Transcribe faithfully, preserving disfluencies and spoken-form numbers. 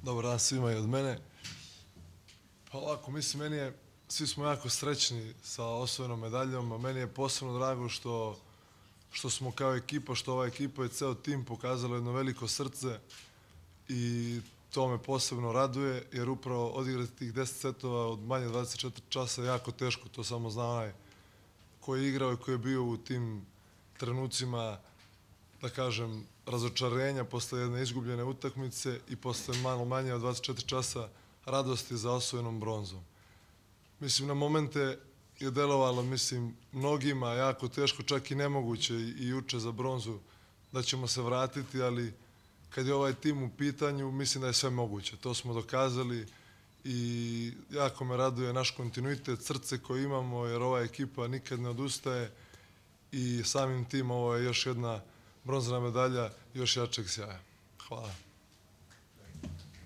Dobar dan svima i od mene. Pa ovako, mislim, meni je, svi smo jako srećni sa osvojenom medaljom, a meni je posebno drago što, što smo kao ekipa, što ova ekipa i ceo tim pokazalo jedno veliko srce i to me posebno raduje, jer upravo odigrati tih deset setova od manje dvadeset četiri časa je jako teško, to samo zna onaj ko je igrao i ko je bio u tim trenucima, da kažem, razočarenja posle jedne izgubljene utakmice i posle malo manje od dvadeset četiri časa radosti za osvojenom bronzom. Mislim, na momente je delovalo, mislim, mnogima jako teško, čak i nemoguće i juče za bronzu da ćemo se vratiti, ali kad je ovaj tim u pitanju, mislim da je sve moguće. To smo dokazali i jako me raduje naš kontinuitet, srce koje imamo, jer ova ekipa nikad ne odustaje i samim tim ovo je još jedna bronzana medalja još jačeg sjaja. Hvala.